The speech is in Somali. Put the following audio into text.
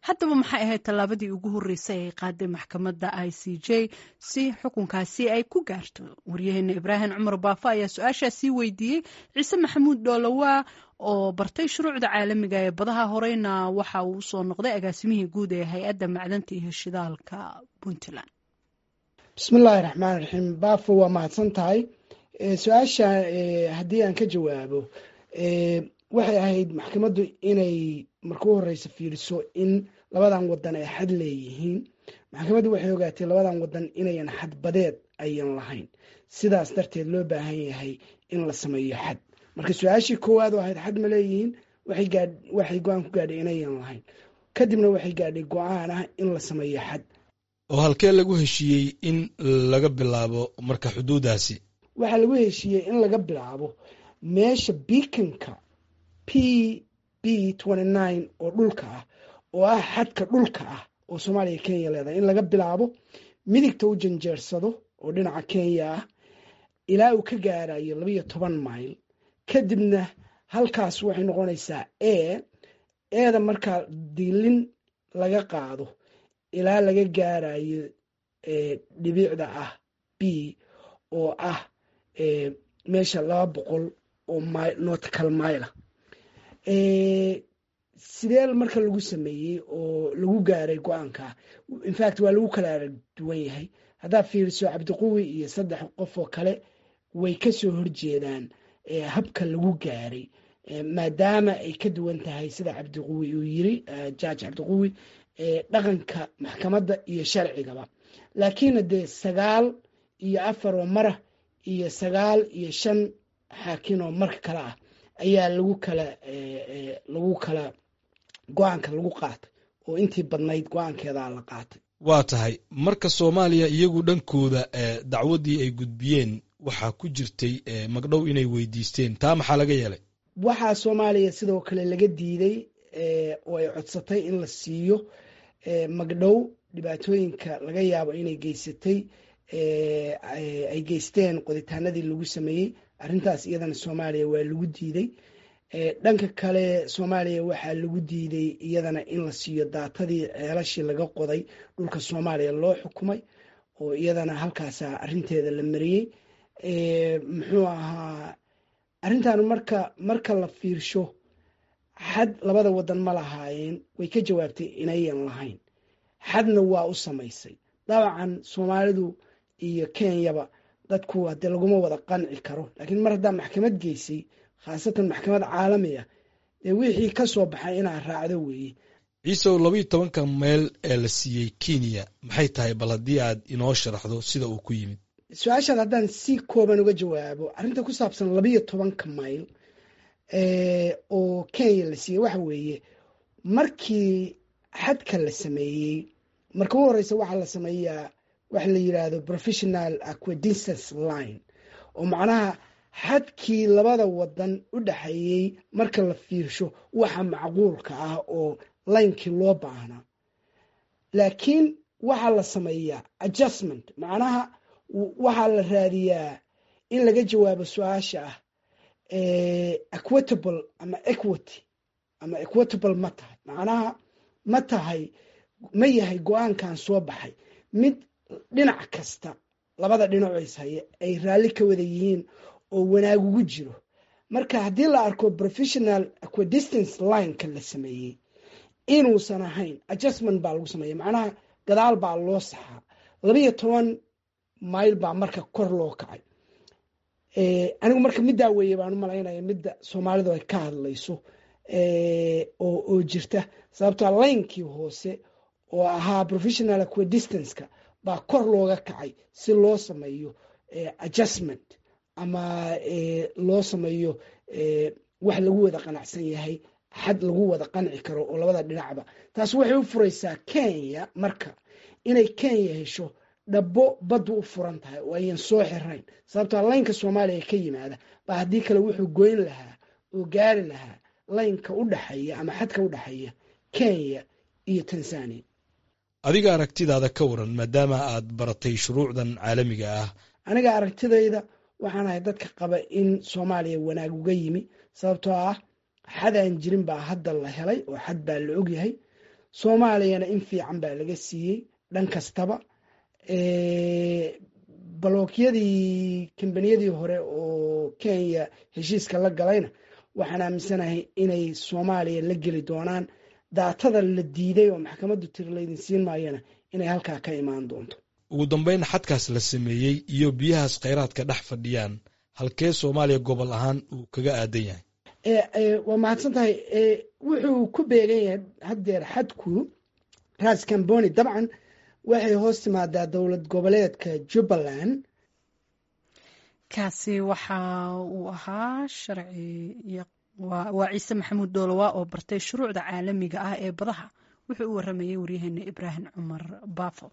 Haddaba, maxay ahayd tallaabadii ugu horreysay ay qaaday maxkamadda ICJ si xukunkaasi ay ku gaarto? Waryaheena Ibraahim Cumar Baafo ayaa su-aashaasii weydiiyey Ciise Maxamuud Dhoolowaa oo bartay shuruucda caalamiga ee badaha, horeyna waxa uu usoo noqday agaasimihii guud ee Hay-adda Macdanta iyo Shidaalka Puntland. Bismillaahi raxmaan raxiim. Baafo, waa mahadsan tahay. Su-aasha haddii aan ka jawaabo, waxay ahayd maxkamaddu inay marka u horeysa fiiriso in labadan wadan ay xad leeyihiin. Maxkamaddu waxay ogaatay labadan wadan inayan xadbadeed ayan lahayn, sidaas darteed loo baahan yahay in la sameeyo xad. Marka su-aashii koowaad oo ahayd xad ma leeyihiin, waxay go-aan ku gaadhay inayan lahayn. Kadibna waxay gaadhay go-aan ah in la sameeyo xad. Oo halkee lagu heshiiyey in laga bilaabo marka xuduudaasi? Waxaa lagu heshiiyey in laga bilaabo meesha beaconka PB 29 oo dhulka ah, oo ah xadka dhulka ah oo Soomaaliya Kenya leedahay, in laga bilaabo midigta u janjeersado oo dhinaca Kenya ah ilaa uu ka gaarayo 12 mayl. Kadibna halkaas waxay noqonaysaa A eeda markaa diilin laga qaado ilaa laga gaarayo dhibicda ah B, oo ah meesha 200 oo nautical mile. Sidee marka lagu sameeyey oo lagu gaaray go-aanka? In fact, waa lagu kala arag duwan yahay. Haddaad fiiriso, Cabdiquwi iyo saddex qof oo kale way kasoo horjeedaan habka lagu gaaray, maadaama ay ka duwan tahay, sida Cabdiquwi uu yiri, Judge Cabdiquwi, dhaqanka maxkamadda iyo sharcigaba. Laakiin dee 9 iyo 4 oo mara iyo 9 iyo 5 xaakin oo marka kale ah ayaa lagu kala go-aanka lagu qaatay, oo intii badnayd go-aankeedaa la qaatay. Waa tahay. Marka Soomaaliya iyagu dhankooda dacwaddii ay gudbiyeen waxaa ku jirtay magdhow inay weydiisteen. Taa maxaa laga yeelay? Waxaa Soomaaliya sidoo kale laga diiday oo ay codsatay in la siiyo magdhow dhibaatooyinka laga yaabo inay geysatay, ay geysteen qoditaanadii lagu sameeyey. Arrintaas iyadana Soomaaliya waa lagu diiday. Dhanka kale, Soomaaliya waxaa lagu diiday iyadana in la siiyo daatadii ceelashii laga qoday dhulka Soomaaliya loo xukumay, oo iyadana halkaasa arrinteeda la mariyey. Muxuu ahaa arrintan? Marka la fiirsho xad labada wadan ma lahaayeen, way ka jawaabtay inayan lahayn, xadna waa u samaysay. Dabcan Soomaalidu iyo Kenyaba dadku hadee laguma wada qanci karo, laakiin mar haddaa maxkamad geysay, khaasatan maxkamad caalami ah, dee wixii ka soo baxay inaa raacdo weeye. Ciisow, 12-ka meel ee la siiyey Kenya maxay tahay? Bal haddii aad inoo sharaxdo sida uu ku yimid. Su-aashaad haddaan si kooban uga jawaabo, arrinta ku saabsan 12-ka mayl oo Kenya la siiyey waxa weeye, markii xadka la sameeyey, marka u horeysa waxaa la sameeyaa waxa la yiraahdo provisional equidistance line, oo macnaha xadkii labada wadan u dhexeeyey marka la fiirsho waxa macquulka ah oo laynkii loo baahnaa. Laakiin waxaa la sameeyaa adjustment, macnaha waxaa la raadiyaa in laga jawaabo su-aasha ah equitable ama equity ama equitable ma tahay, macnaha ma tahay, ma yahay go-aankan soo baxay mid dhinac kasta, labada dhinac is haya, ay raalli ka wada yihiin oo wanaag ugu jiro. Marka haddii la arko provisional equidistance lineka la sameeyey inuusan ahayn, adjustment baa lagu sameeya, macnaha gadaal baa loo saxaa. 12 mayl baa marka kor loo kacay. Anigu marka middaa weeye baan u malaynaya midda Soomaalidu ay ka hadlayso oo jirta, sababtoa laynkii hoose oo ahaa provisional equidistanceka baa kor looga kacay si loo sameeyo adjustment ama loo sameeyo wax lagu wada qanacsan yahay, xad lagu wada qanci karo oo labada dhinacba. Taas waxay u furaysaa Kenya marka inay Kenya hesho dhabo baddu u furan tahay oo ayan soo xirayn, sababtoa laynka Soomaaliya ka yimaada baa haddii kale wuxuu goyn lahaa oo gaari lahaa laynka u dhexeeya ama xadka u dhexeeya Kenya iyo Tanzania. Adiga aragtidaada ka waran, maadaama aad baratay shuruucdan caalamiga ah? Aniga aragtidayda, waxaan ahay dadka qaba in Soomaaliya wanaag uga yimi, sababtoo ah xad aan jirin baa hadda la helay oo xad baa la ogyahay. Soomaaliyana in fiican baa laga siiyey dhan kastaba. Balookyadii kambaniyadii hore oo Kenya heshiiska la galayna waxaan aaminsanahay inay Soomaaliya la geli doonaan. Daatada la diiday oo maxkamaddu tiri laydin siin maayana inay halkaa ka imaan doonto. Ugu dambeyn, xadkaas la sameeyey iyo biyahaas kheyraadka dhex fadhiyaan, halkee Soomaaliya gobol ahaan uu kaga aadan yahay? Waa mahadsan tahay. Wuxuu ku beegan yahay haddeer xadku Ras Camboni, dabcan waxay hoos timaadaa dowlad goboleedka Jubbaland. Kaasi waxa uu ahaa sharci waa Ciise Maxamuud Dhoolowa oo bartay shuruucda caalamiga ah ee badaha. Wuxuu u waramayey waryaheena Ibraahim Cumar Baafo.